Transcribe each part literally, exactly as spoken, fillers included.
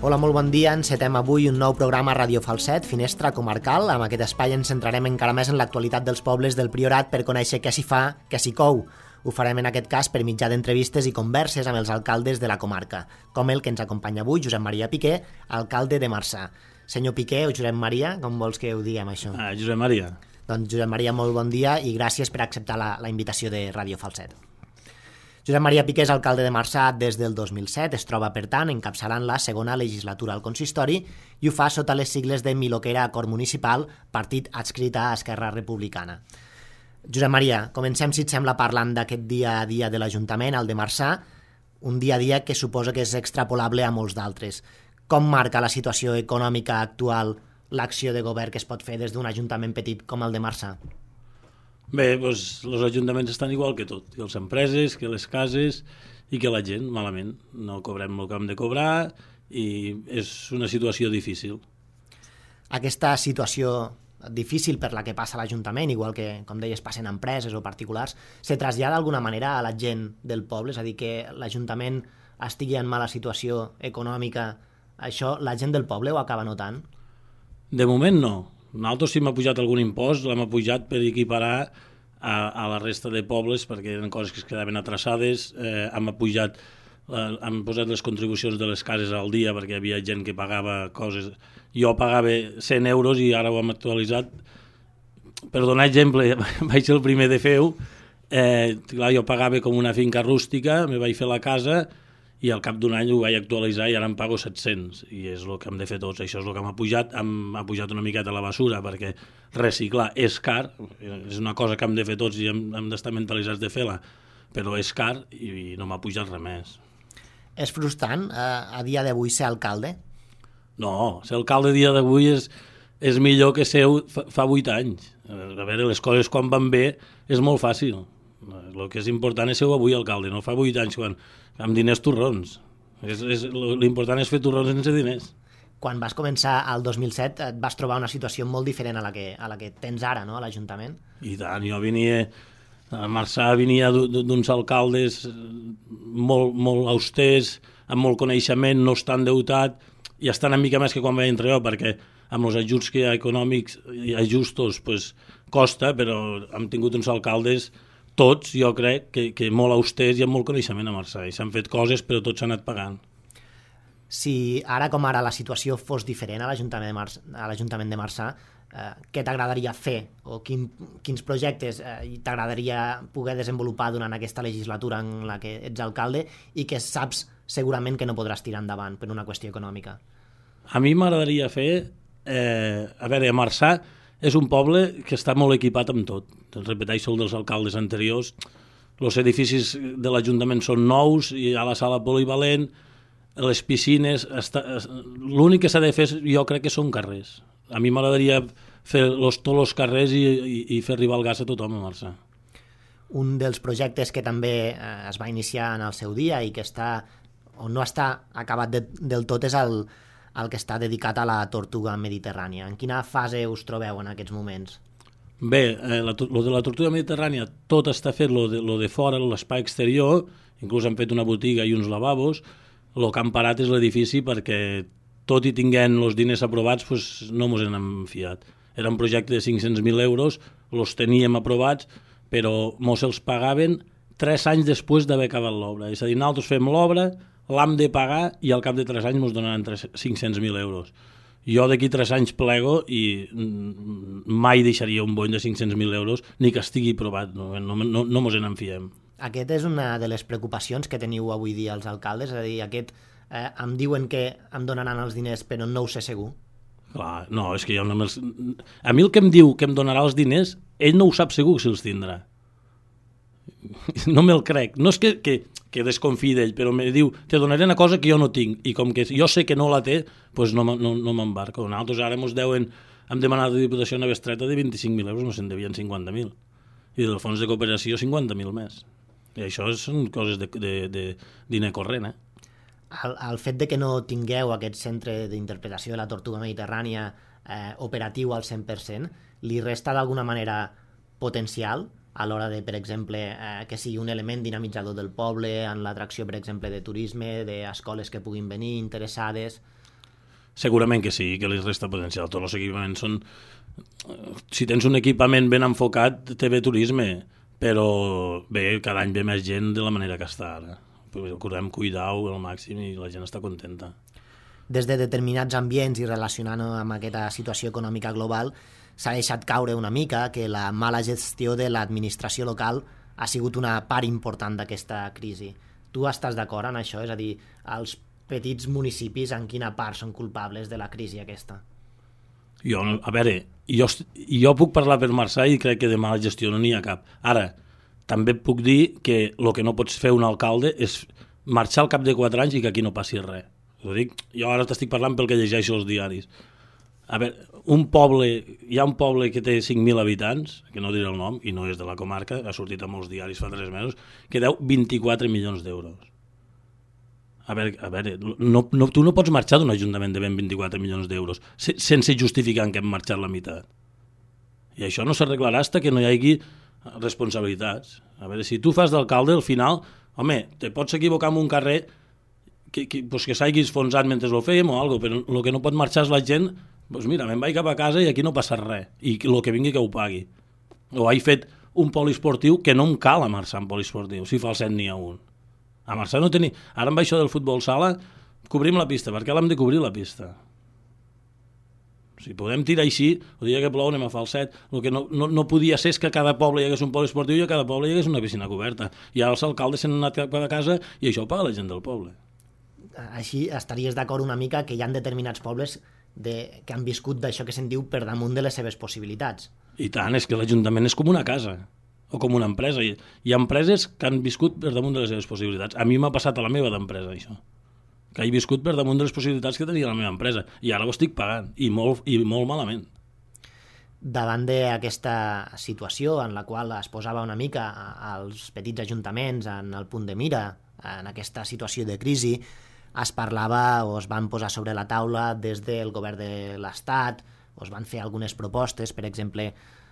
Hola, molt bon dia. Encetem avui un nou programa a Ràdio Falset, Finestra Comarcal. Amb aquest espai ens centrarem encara més en l'actualitat dels pobles del Priorat per conèixer què s'hi fa, què s'hi cou. Ho farem en aquest cas per mitjà d'entrevistes i converses amb els alcaldes de la comarca, com el que ens acompanya avui, Josep Maria Piqué, alcalde de Marçà. Senyor Piqué o Josep Maria, com vols que ho diguem això? Ah, Josep Maria. Doncs Josep Maria, molt bon dia i gràcies per acceptar la, la invitació de Ràdio Falset. Josep Maria Piqué és alcalde de Marçà des del dos mil set, es troba, per tant, encapçalant la segona legislatura al consistori i ho fa sota les sigles de Miloquera Acord Municipal, partit adscrit a Esquerra Republicana. Josep Maria, comencem, si et sembla, parlant d'aquest dia a dia de l'Ajuntament, el de Marçà, un dia a dia que suposa que és extrapolable a molts d'altres. Com marca la situació econòmica actual l'acció de govern que es pot fer des d'un ajuntament petit com el de Marçà? Bé, doncs els ajuntaments estan igual que tot, que les empreses, que les cases i que la gent, malament. No cobrem el que hem de cobrar i és una situació difícil. Aquesta situació difícil per la que passa l'Ajuntament, igual que, com deies, passen empreses o particulars, se trasllada d'alguna manera a la gent del poble? És a dir, que l'Ajuntament estigui en mala situació econòmica, això la gent del poble ho acaba notant? De moment no. Nosaltres si m'ha pujat algun impost, l'hem pujat per equiparar a, a la resta de pobles perquè eren coses que es quedaven atrasades, eh, hem pujat, eh, hem posat les contribucions de les cases al dia perquè hi havia gent que pagava coses. Jo pagava cent euros i ara ho hem actualitzat. Per donar exemple, vaig ser el primer de fer-ho, eh, clar, jo pagava com una finca rústica, me vaig fer la casa i al cap d'un any ho vaig actualitzar i ara em pago set-cents, i és el que hem de fer tots. Això és el que m'ha pujat, hem, ha pujat una miqueta la basura, perquè reciclar és car, és una cosa que hem de fer tots i hem, hem d'estar mentalitzats de fer-la, però és car i, i no m'ha pujat res més. És frustrant eh, a dia d'avui ser alcalde? No, ser alcalde a dia d'avui és, és millor que ser fa, fa vuit anys. A veure, les coses quan van bé és molt fàcil. El que és important és ser avui alcalde, no fa vuit anys quan amb diners torrons. És, és, l'important és fer torrons sense diners. Quan vas començar al dos mil set et vas trobar una situació molt diferent a la que, a la que tens ara, no?, a l'Ajuntament. I tant, jo venia, a Marçà venia d'uns alcaldes molt, molt austers, amb molt coneixement, no estan endeutat, i estan una mica més que quan vaig entrar jo, perquè amb els ajuts que hi ha econòmics i ajustos pues, costa, però hem tingut uns alcaldes tots, jo crec, que, que molt austers i amb molt coneixement a Marçà, i s'han fet coses però tots s'han anat pagant. Si ara com ara la situació fos diferent a l'Ajuntament de Marçà, a l'Ajuntament de Marçà, eh, què t'agradaria fer o quin, quins projectes eh, t'agradaria poder desenvolupar durant aquesta legislatura en la que ets alcalde i que saps segurament que no podràs tirar endavant per una qüestió econòmica? A mi m'agradaria fer, eh, a veure, a Marçà és un poble que està molt equipat amb tot. Repeteixo el dels alcaldes anteriors. Els edificis de l'Ajuntament són nous, hi ha la sala polivalent, les piscines... Està... L'únic que s'ha de fer, jo crec que són carrers. A mi m'agradaria fer los, tots els carrers i, i, i fer arribar el gas a tothom a Marçà. Un dels projectes que també eh, es va iniciar en el seu dia i que està, o no està acabat de, del tot és el, el que està dedicat a la tortuga mediterrània. En quina fase us trobeu en aquests moments? Bé, eh, la, lo de la tortuga mediterrània tot està fet, lo de, lo de fora, l'espai exterior, inclús han fet una botiga i uns lavabos. El que han parat és l'edifici perquè tot i tinguent els diners aprovats pues, no mos n'hem fiat. Era un projecte de cinc-cents mil euros, els teníem aprovats, però mos els pagaven tres anys després d'haver acabat l'obra. És a dir, nosaltres fem l'obra, l'hem de pagar i al cap de tres anys mos donaran cinc-cents mil euros. Jo d'aquí tres anys plego i mai deixaria un bony de cinc-cents mil euros ni que estigui provat, no, no, no, no mos en fiem. Aquest és una de les preocupacions que teniu avui dia els alcaldes, és a dir, aquest eh, em diuen que em donaran els diners però no ho sé segur. Clar, no, és que jo no me'ls... A mi el que em diu que em donarà els diners, ell no ho sap segur si els tindrà. No me'l crec. No és que, que, que desconfiï d'ell, però me diu, te donaré una cosa que jo no tinc, i com que jo sé que no la té, doncs no, no, no m'embarco. Nosaltres ara ens deuen, hem demanat a la Diputació una bestreta de vint-i-cinc mil euros, no se'n devien cinquanta mil. I del fons de cooperació cinquanta mil més. I això són coses de, de, de diner corrent, eh? El, el fet de que no tingueu aquest centre d'interpretació de la tortuga mediterrània eh, operatiu al cent per cent, li resta d'alguna manera potencial a l'hora de, per exemple, eh, que sigui un element dinamitzador del poble, en l'atracció, per exemple, de turisme, d'escoles que puguin venir interessades? Segurament que sí, que li resta potencial. Tots els equipaments són... Si tens un equipament ben enfocat, té bé turisme, però bé, cada any ve més gent de la manera que està ara. Procurem cuidar-ho al màxim i la gent està contenta. Des de determinats ambients i relacionant-ho amb aquesta situació econòmica global, s'ha deixat caure una mica que la mala gestió de l'administració local ha sigut una part important d'aquesta crisi. Tu estàs d'acord en això? És a dir, els petits municipis en quina part són culpables de la crisi aquesta? Jo, a veure, jo, jo puc parlar per Marçà i crec que de mala gestió no n'hi ha cap. Ara, també puc dir que el que no pots fer un alcalde és marxar al cap de quatre anys i que aquí no passi res. Ho dic, jo ara t'estic parlant pel que llegeixo als diaris. A veure, un poble, hi ha un poble que té cinc mil habitants, que no diré el nom, i no és de la comarca, ha sortit a molts diaris fa tres mesos, que deu vint-i-quatre milions d'euros. A veure, a veure no, no, tu no pots marxar d'un ajuntament de vint-i-quatre milions d'euros sense justificar que hem marxat la meitat. I això no s'arreglarà fins que no hi hagi responsabilitats. A veure, si tu fas d'alcalde, al final, home, te pots equivocar en un carrer que, que, pues que s'hagi esfonsat mentre ho fèiem o alguna cosa, però el que no pot marxar és la gent, doncs mira, me'n vaig cap a casa i aquí no passa res, i el que vingui que ho pagui. O he fet un poliesportiu que no em cal a Marçà en poliesportiu, si Falset n'hi ha un. A Marçà no tenia... Ara amb això del futbol sala, cobrim la pista. Per què l'hem de cobrir la pista? Si podem tirar així, el dia que plou anem a Falset. El que no, no, no podia ser és que a cada poble hi hagués un poliesportiu i a cada poble hi hagués una piscina coberta. I ara els alcaldes s'han anat cap a casa i això ho paga la gent del poble. Així estaries d'acord una mica que hi ha determinats pobles de, que han viscut d'això que se'n diu per damunt de les seves possibilitats. I tant, és que l'Ajuntament és com una casa o com una empresa. Hi ha empreses que han viscut per damunt de les seves possibilitats. A mi m'ha passat a la meva d'empresa, això. Que he viscut per damunt de les possibilitats que tenia la meva empresa. I ara ho estic pagant, i molt, i molt malament. Davant d'aquesta situació en la qual es posava una mica als petits ajuntaments en el punt de mira, en aquesta situació de crisi, es parlava o es van posar sobre la taula des del govern de l'Estat, o es van fer algunes propostes, per exemple,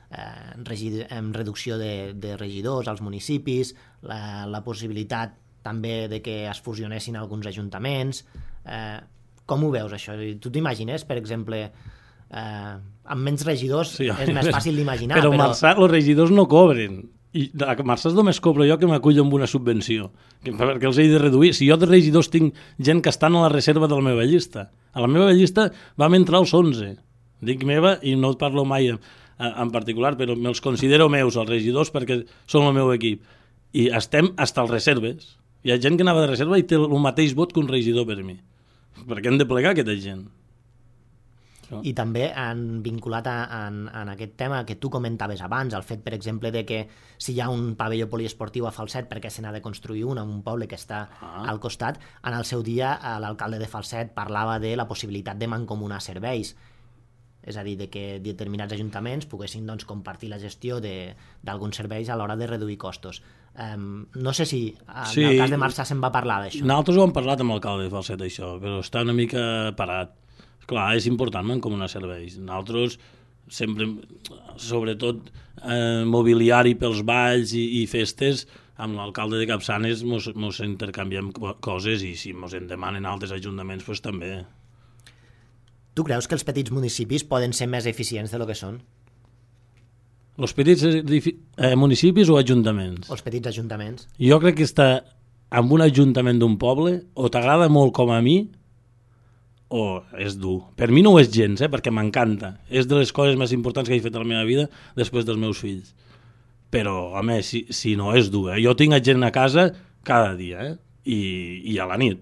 eh, en reducció de, de regidors als municipis, la, la possibilitat també de que es fusionessin alguns ajuntaments. Eh, com ho veus, això? Tu t'imagines, per exemple, eh, amb menys regidors sí, és més fàcil d'imaginar. Però a però... Marçà els regidors no cobren. I a Marçà només cobro jo que m'acullo amb una subvenció, que, perquè els he de reduir. Si jo de regidors tinc gent que estan a la reserva de la meva llista. A la meva llista vam entrar els onze. Dic meva i no et parlo mai en, en particular, però me'ls considero meus, els regidors, perquè són el meu equip. I estem fins als reserves. Hi ha gent que anava de reserva i té el mateix vot que un regidor per mi. Perquè hem de plegar aquesta gent. I també han vinculat a, en, en aquest tema que tu comentaves abans, el fet, per exemple, de que si hi ha un pavelló poliesportiu a Falset, perquè se n'ha de construir un en un poble que està ah. al costat, en el seu dia l'alcalde de Falset parlava de la possibilitat de mancomunar serveis, és a dir, de que determinats ajuntaments poguessin doncs, compartir la gestió d'alguns serveis a l'hora de reduir costos. Um, no sé si en sí, el cas de Marçà se'n va parlar d'això. Nosaltres ho hem parlat amb l'alcalde de Falset, això, però està una mica parat. Clar, és important mancomunar serveis. Nosaltres sempre, sobretot eh, mobiliari pels balls i, i festes, amb l'alcalde de Capçanes mos, mos intercanviem coses i si mos en demanen altres ajuntaments, doncs també. Tu creus que els petits municipis poden ser més eficients de lo que són? Els petits eh, municipis o ajuntaments? Els petits ajuntaments. Jo crec que està en un ajuntament d'un poble, o t'agrada molt com a mi, o és dur. Per mi no ho és gens, eh, perquè m'encanta. És de les coses més importants que he fet a la meva vida després dels meus fills. Però, home, si, si no és dur, eh? Jo tinc gent a casa cada dia, eh? I, i a la nit.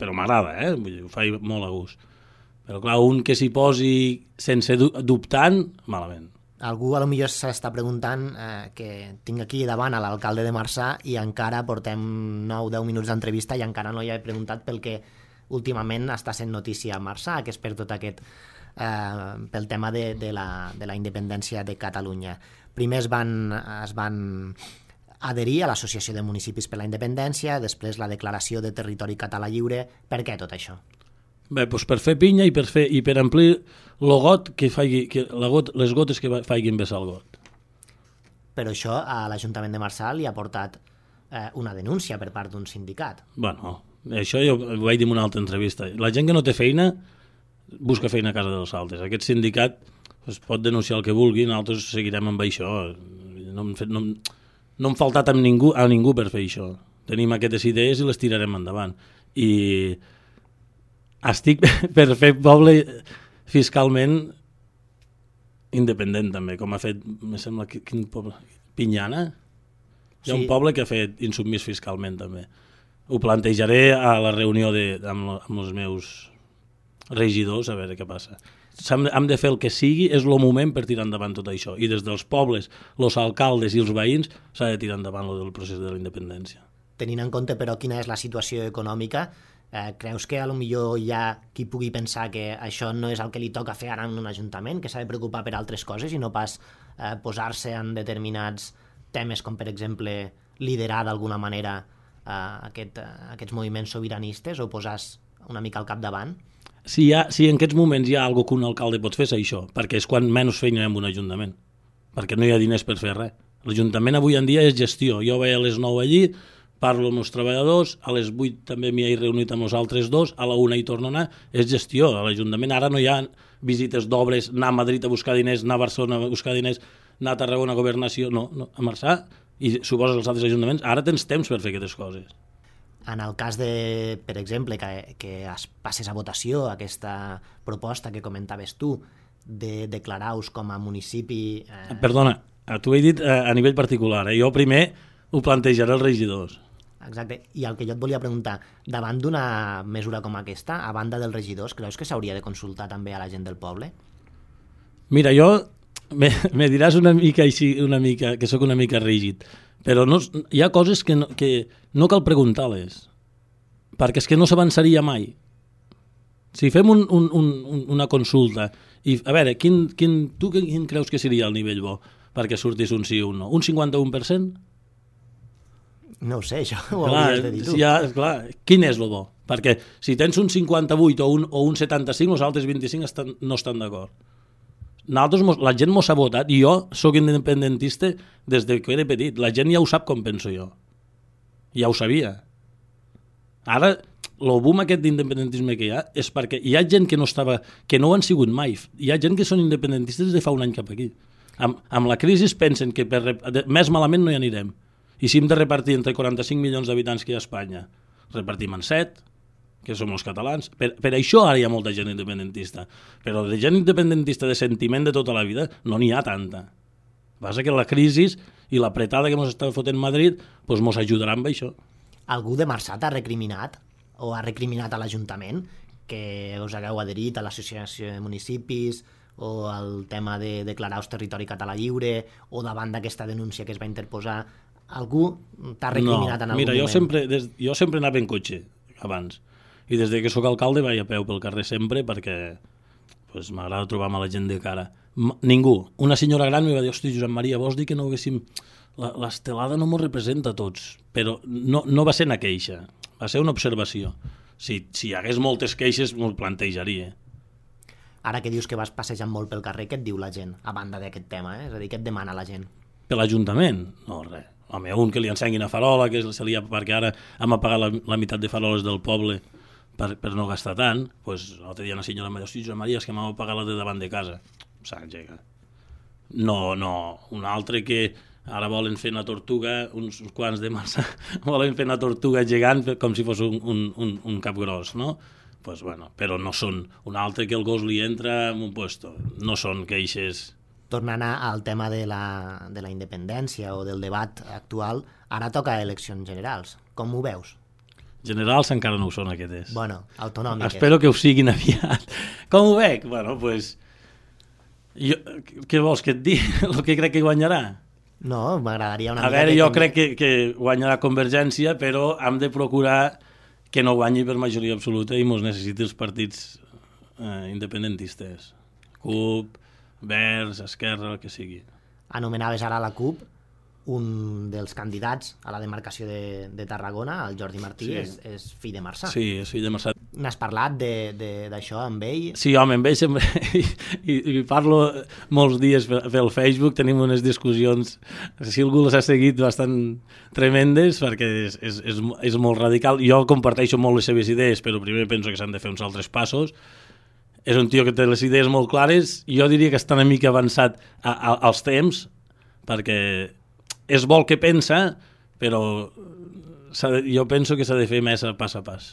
Però m'agrada, eh? Vull dir, ho faig molt a gust. Però, clar, un que s'hi posi sense dubtant, malament. Algú a lo millor s'està preguntant eh, que tinc aquí davant a l'alcalde de Marçà i encara portem nou o deu minuts d'entrevista i encara no hi he preguntat pel que últimament està sent notícia a Marçà, que és per tot aquest, eh, pel tema de, de, la, de la independència de Catalunya. Primer es van, es van adherir a l'Associació de Municipis per la Independència, després la Declaració de Territori Català Lliure. Per què tot això? Bé, doncs per fer pinya i per, fer, i per omplir el got que faigui, que la got, les gotes que faiguin vessar el got. Però això a l'Ajuntament de Marçà li ha portat eh, una denúncia per part d'un sindicat. Bueno, això jo ho vaig dir en una altra entrevista. La gent que no té feina busca feina a casa dels altres. Aquest sindicat pues, pot denunciar el que vulgui, nosaltres seguirem amb això. No hem, fet, no, no hem faltat amb ningú, a ningú per fer això. Tenim aquestes idees i les tirarem endavant. I estic per fer poble fiscalment independent també, com ha fet, me sembla, quin poble? Pinyana? Hi ha sí. un poble que ha fet insubmís fiscalment també. Ho plantejaré a la reunió de, amb, amb els meus regidors, a veure què passa. Hem, hem de fer el que sigui, és el moment per tirar endavant tot això. I des dels pobles, els alcaldes i els veïns, s'ha de tirar endavant el procés de la independència. Tenint en compte, però, quina és la situació econòmica, eh, creus que a lo millor hi ha qui pugui pensar que això no és el que li toca fer ara en un ajuntament, que s'ha de preocupar per altres coses i no pas eh, posar-se en determinats temes com, per exemple, liderar d'alguna manera eh, aquest, eh, aquests moviments sobiranistes o posar-se una mica al capdavant? Si, hi ha, si en aquests moments hi ha alguna que un alcalde pot fer, és això, perquè és quan menys feina hi ha en un ajuntament, perquè no hi ha diners per fer res. L'Ajuntament avui en dia és gestió. Jo vaig a les nou allí, parlo amb els treballadors, a les vuit també m'hi he reunit amb els altres dos, a la una hi torno a anar, és gestió. A l'Ajuntament ara no hi ha visites d'obres, anar a Madrid a buscar diners, anar a Barcelona a buscar diners, anar a Tarragona a Governació, no, no a Marçà, i suposo els altres ajuntaments, ara tens temps per fer aquestes coses. En el cas de, per exemple, que, que es passes a votació aquesta proposta que comentaves tu de declarar-vos com a municipi... Eh... Perdona, t'ho he dit a nivell particular, eh? Jo primer ho plantejaré als regidors. Exacte, i el que jo et volia preguntar, davant d'una mesura com aquesta, a banda dels regidors, creus que s'hauria de consultar també a la gent del poble? Mira, jo me, me diràs una mica així, una mica, que sóc una mica rígid, però no, hi ha coses que no, que no cal preguntar-les, perquè és que no s'avançaria mai. Si fem un, un, un, una consulta, i a veure, quin, quin, tu quin creus que seria el nivell bo perquè sortís un sí o un no? Un cinquanta-un per cent? No ho sé, això ho clar, hauries de dir tu. Ja, clar, quin és el bo? Perquè si tens un cinquanta-vuit o un, o un setanta-cinc, els altres vint-i-cinc estan, no estan d'acord. Nosaltres, la gent mos ha votat, i jo sóc independentista des de que era petit. La gent ja ho sap com penso jo. Ja ho sabia. Ara, el boom aquest d'independentisme que hi ha és perquè hi ha gent que no estava, que no ho han sigut mai. Hi ha gent que són independentistes de fa un any cap aquí. Amb, amb la crisi pensen que per, més malament no hi anirem. I si hem de repartir entre quaranta-cinc milions d'habitants que hi ha a Espanya, repartim en set, que som els catalans. Per, per això ara hi ha molta gent independentista. Però de gent independentista de sentiment de tota la vida no n'hi ha tanta. Passa que la crisi i l'apretada que ens està fotent Madrid doncs mos ajudarà amb això. Algú de Marçà t'ha recriminat o ha recriminat a l'Ajuntament que us hagueu adherit a l'Associació de Municipis o al tema de declarar-vos territori català lliure o davant d'aquesta denúncia que es va interposar? Algú t'ha recriminat no, en algun mira, moment? Jo sempre, des, jo sempre anava en cotxe abans. I des que sóc alcalde vaig a peu pel carrer sempre perquè pues, m'agrada trobar-me la gent de cara. M ningú. Una senyora gran em va dir, hosti, Josep Maria, vols dir que no haguéssim... L'estelada no m'ho representa a tots, però no, no va ser una queixa, va ser una observació. Si, si hi hagués moltes queixes m'ho plantejaria. Ara que dius que vas passejant molt pel carrer, què et diu la gent, a banda d'aquest tema? Eh? És a dir, què et demana la gent? Per l'Ajuntament? No, res. Home, un que li ensenguin a farola, que se li ha, perquè ara hem apagat la, la meitat de faroles del poble per, per no gastar tant, doncs l'altre dia una senyora em va dir, hosti, Josep Maria, és que m'hem apagat la de davant de casa. S'engega. No, no, un altre que ara volen fer una tortuga, uns, uns quants de massa, volen fer una tortuga gegant com si fos un, un, un, un cap gros, no? Pues bueno, però no són. Un altre que el gos li entra en un puesto. No són queixes... Tornant al tema de la, de la independència o del debat actual, ara toca eleccions generals. Com ho veus? Generals encara no ho són, aquestes. Bueno, autonòmiques. Espero que ho siguin aviat. Com ho veig? Bueno, doncs... Pues, jo, què vols que et digui? El que crec que guanyarà? No, m'agradaria una mica... A veure, jo crec que, que guanyarà Convergència, però hem de procurar que no guanyi per majoria absoluta i mos necessiti els partits eh, independentistes. C U P, Verds, Esquerra, el que sigui. Anomenaves ara la C U P, un dels candidats a la demarcació de, de Tarragona, el Jordi Martí, sí. és, és fill de Marçà. Sí, és fill de Marçà. N'has parlat d'això amb ell? Sí, home, amb ell sempre... I, i, i parlo molts dies pel Facebook, tenim unes discussions, si algú les ha seguit, bastant tremendes, perquè és, és, és, és molt radical. Jo comparteixo molt les seves idees, però primer penso que s'han de fer uns altres passos. és un tio que té les idees molt clares, jo diria que està una mica avançat a, a, als temps, perquè és bo el que pensa, però de, jo penso que s'ha de fer més a pas a pas.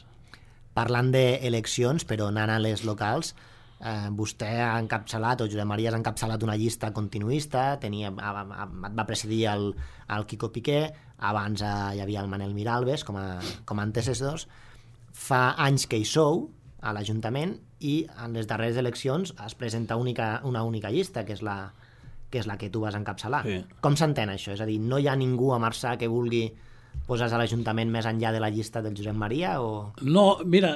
Parlant d'eleccions, però anant a les locals, eh, vostè ha encapçalat, o Josep Maria ha encapçalat una llista continuista, tenia, a, a, et va presidir el, el Quico Piqué, abans eh, hi havia el Manel Miralbes com a, com a antecessors. Fa anys que hi sou a l'Ajuntament i en les darreres eleccions es presenta única, una única llista, que és la que és la que tu vas encapçalar. Sí. Com s'entén això? És a dir, no hi ha ningú a Marçà que vulgui posar-se a l'Ajuntament més enllà de la llista del Josep Maria? O... No, mira,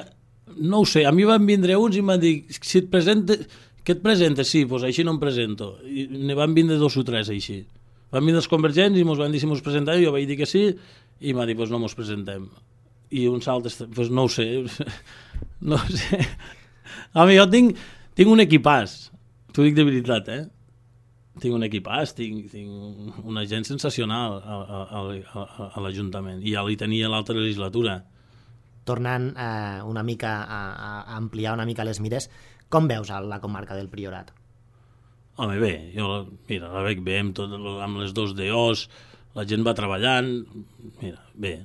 no ho sé. A mi van vindre uns i em van dir, si et presentes, que et presentes? Sí, doncs així no em presento. I ne van vindre dos o tres així. Van vindre els convergents i ens van dir si mos presentàvem, jo vaig dir que sí, i m'ha dit, doncs no mos presentem. I uns altres, doncs no ho sé. No ho sé. Home, jo tinc, tinc un equipàs, t'ho dic de veritat, eh? Tinc un equipàs, tinc, tinc una gent sensacional a, a, a, a l'Ajuntament, i ja li tenia l'altra legislatura. Tornant eh, una mica a, a ampliar una mica les mires, com veus la comarca del Priorat? Home, bé, jo mira, la veig bé amb, tot, amb les dos D Os, la gent va treballant, mira, bé.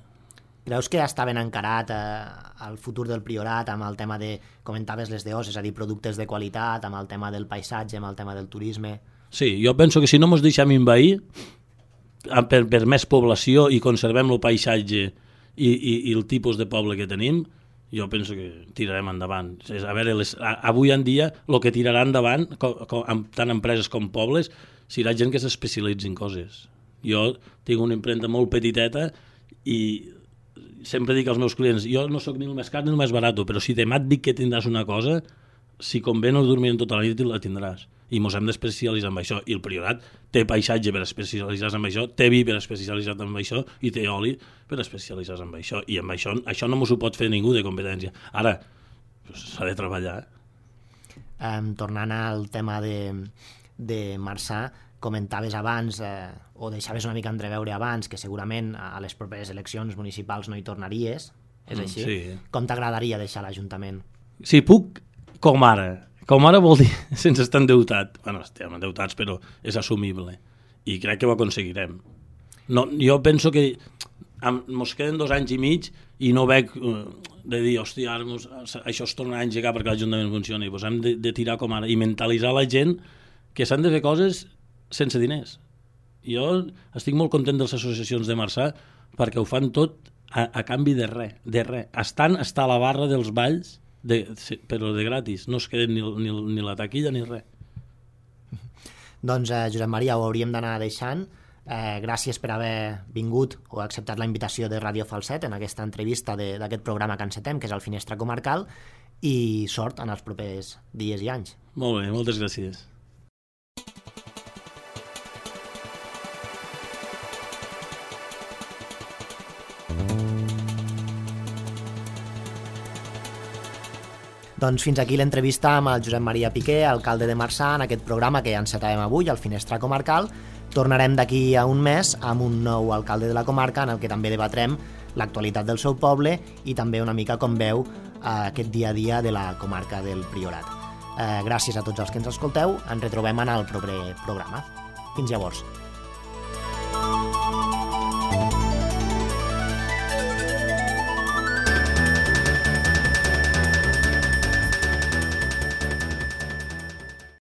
Creus que està ben encarat eh, el futur del Priorat amb el tema de, comentaves les D Os, és a dir, productes de qualitat, amb el tema del paisatge, amb el tema del turisme? Sí, jo penso que si no ens deixem envair per, per més població i conservem el paisatge i, i, i el tipus de poble que tenim, jo penso que tirarem endavant. A veure, les, a, avui en dia el que tirarà endavant, com, com, tant empreses com pobles, serà gent que s'especialitzi en coses. Jo tinc una impremta molt petiteta i sempre dic als meus clients, jo no sóc ni el més car ni el més barat, però si demà et dic que tindràs una cosa, si convé no dormirem tota la nit i la tindràs. I ens hem d'especialitzar en això. I el Priorat té paisatge per especialitzar-se en això, té vi per especialitzar-se en això i té oli per especialitzar-se en això. I amb això, això no m'ho pot fer ningú de competència. Ara, s'ha de treballar. Um, tornant al tema de, de Marçà, comentaves abans, eh, o deixaves una mica entreveure abans, que segurament a les properes eleccions municipals no hi tornaries, és així? Sí. Com t'agradaria deixar l'Ajuntament? Si puc, com ara. Com ara vol dir sense estar endeutat. Bueno, estem endeutats, però és assumible. I crec que ho aconseguirem. No, jo penso que ens queden dos anys i mig i no veig uh, de dir, hòstia, ara mos, això es tornarà a engegar perquè l'Ajuntament funcioni. Pues hem de, de tirar com ara i mentalitzar la gent que s'han de fer coses sense diners. Jo estic molt content de les associacions de Marçà perquè ho fan tot a, a canvi de res, de res. Estan està a la barra dels balls, de, però de gratis, no es queden ni, ni, ni la taquilla ni res. Doncs eh, Josep Maria, ho hauríem d'anar deixant. Eh, gràcies per haver vingut o acceptat la invitació de Ràdio Falset en aquesta entrevista d'aquest programa que encetem, que és el Finestra Comarcal, i sort en els propers dies i anys. Molt bé, moltes gràcies. Doncs fins aquí l'entrevista amb el Josep Maria Piqué, alcalde de Marçà, en aquest programa que encetàvem avui, el Finestra Comarcal. Tornarem d'aquí a un mes amb un nou alcalde de la comarca en el que també debatrem l'actualitat del seu poble i també una mica com veu eh, aquest dia a dia de la comarca del Priorat. Eh, gràcies a tots els que ens escolteu, ens retrobem en el proper programa. Fins llavors.